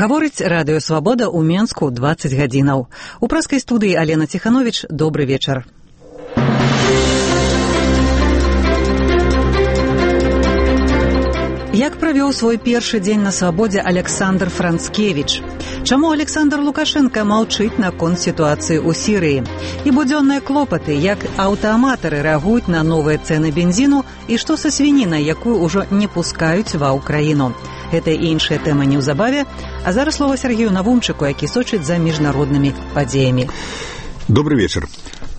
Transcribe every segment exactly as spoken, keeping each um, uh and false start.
Гаворыць радыё «Свабода» ў Менску дваццаць гадзінаў. У праскай студыі Алена Ціхановіч. Добры вечар. Як правёў свой першы дзень на свабодзе Александр Францкевіч? Чаму Александр Лукашенко маўчыць наконт сітуацыі ў Сірыі? І будзённыя клопаты, як аўтааматары рэагуюць на новыя цэны бензіну і што са свінінай, якую ўжо не пускаюць ва ўкраіну. Гэта і іншая тэма неўзабаве, а зараз слова Сергею Навумчыку, які сочыць за міжнароднымі падзеямі. Добрый вечер.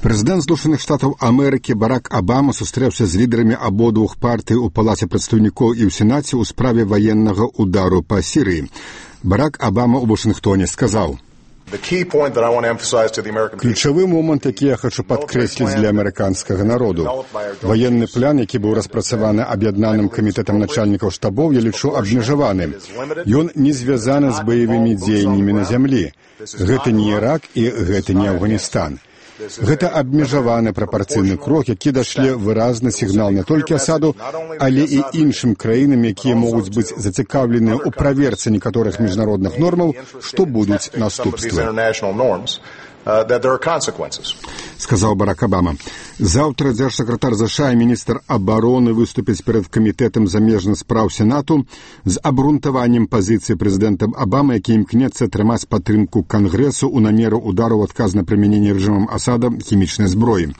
Прэзідэнт Злучаных Штатаў Амерыкі Барак Абама сустрэўся з лідарамі абодвух партый у Палаце прадстаўнікоў і ў Сенаце ў справе ваеннага удару па Сірыі. Барак Абама ў Вашынгтоне сказаў: «Ключавы момант, які я хочу падкрэсліць для амерыканскага народу. Ваенны план, які быў распрацаваны аб'яднаным камітэтам начальнікаў штабоў, я лічу абмежаваным. Ён не звязаны з баявымі дзеяннямі на зямлі. Гэта не Ірак і гэта не Афганістан. Гэта абмежаваны прапарцыйны крок, які дашле выразны сігнал не толькі Асаду, але і іншым краінам, якія могуць быць зацікаўленыя ў праверцы некаторых міжнародных нормаў, што будуць наступствы», сказаў Барак Абама. Заўтра дзяржсакратар ЗША і міністр абароны выступяць перад камітэтам замежных спраў Сенату з абгрунтаваннем пазіцыі прэзідэнта Абамы, які імкнецца атрымаць падтрымку Кангрэсу ў намеру удару ў адказ на прымяненне рэжымам Асада хімічнай зброі.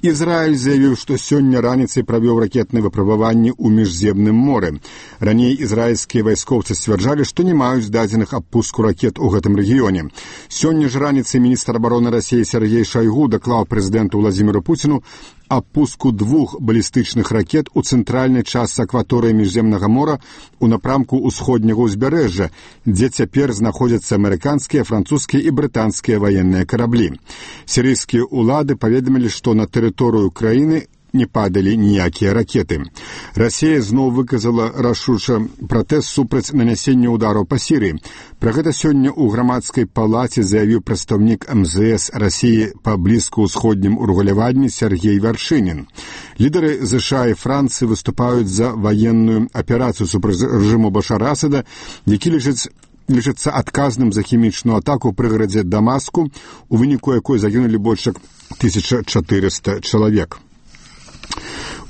Ізраіль заявіў, што сёння раніцай правёў ракетныя выпрабаванні ў міжземным моры. Раней ізраільскія вайскоўцы сцвярджалі, што не маюць дадзеных аб пуску ракет у гэтым рэгіёне. Сёння ж раніцай міністр абароны Расіі Сергей Шойгу даклаў прэзідэнту Владзіміру Пуціну аб пуску двух балістычных ракет у цэнтральнай частцы акваторыі міжземнага мора у напрамку ўсходняга ўзбярэжжа, дзе цяпер знаходзяцца амерыканскія, французскія і брытанскія ваенныя караблі. Сірыйскія ўлады паведамілі, што на тэрыторыю краіны не падалі ніякія ракеты. Расія зноў выказала рашуча пратэст супраць нанясення ўдараў па Сірыі. Пра гэта сёння ў грамадскай палаце заявіў прадстаўнік эм зэ эс Расіі па блізкаўсходнім урэгуляванні Сергей Варшынін. Лідары ЗША і Францыі выступаюць за ваенную аперацыю супраць рэжыму Башара Асада, які лічыць лічыцца адказным за хімічную атаку ў прыгарадзе Дамаску, у выніку якой загінулі больш як тысяча чатырыста чалавек.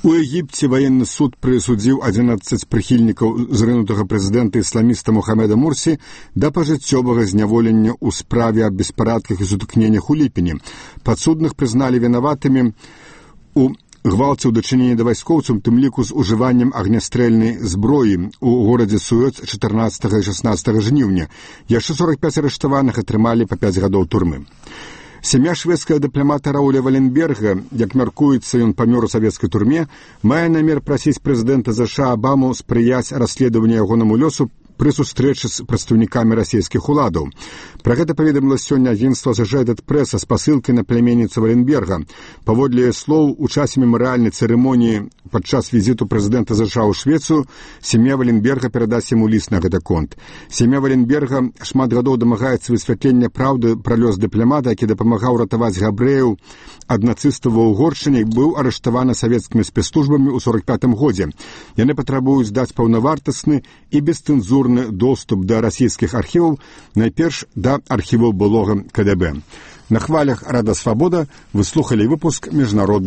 У Егіпце ваенны суд прысудзіў адзінаццаць прыхільнікаў зрынутага прэзідэнта ісламіста Мухаммеда Мурсі да пажыццёвага зняволення ў справе аб беспарадках і сутыкненнях у ліпені. Падсудных прызналі вінаватымі у гвалце ў дачыненні да вайскоўцаў, тым ліку з ужываннем агнястрэльнай зброі ў горадзе Суэц чатырнаццатага і шаснаццатага жніўня. Яшчэ сорак пяць арыштаваных атрымалі па пяць гадоў турмы. Сям'я шведскага дыпламата Рауля Валенберга, як мяркуецца, ён памёр у савецкай турме, мае намер прасіць прэзідэнта ЗША Абаму спрыяць расследаванню ягонаму лёсу пры сустрэчы з прадстаўнікамі расійскіх уладаў. Пра гэта паведаміла сёння агенцтва Associated Press з пасылкай на пляменніцу Валенберга. Паводле яе слоў, у часе мемарыяльнай цырымоніі падчас візіту прэзідэнта ЗША ў Швецыю сям'я Валенберга перадасць яму ліст на гэты конт. Сям'я Валенберга шмат гадоў дамагаецца высвятлення праўды пра лёс дыпламата, які дапамагаў ратаваць габрэяў ад нацыстаў ва Угоршчыне, быў арыштаваны савецкімі спецслужбамі ў сорак пятым годзе. Яны патрабуюць даць паўнавартасны і бесцэнзурны доступ да расійскіх архіваў, найперш да архіваў былога ка дэ бэ. На хвалях Рада Свабода вы слухалі выпуск міжнародных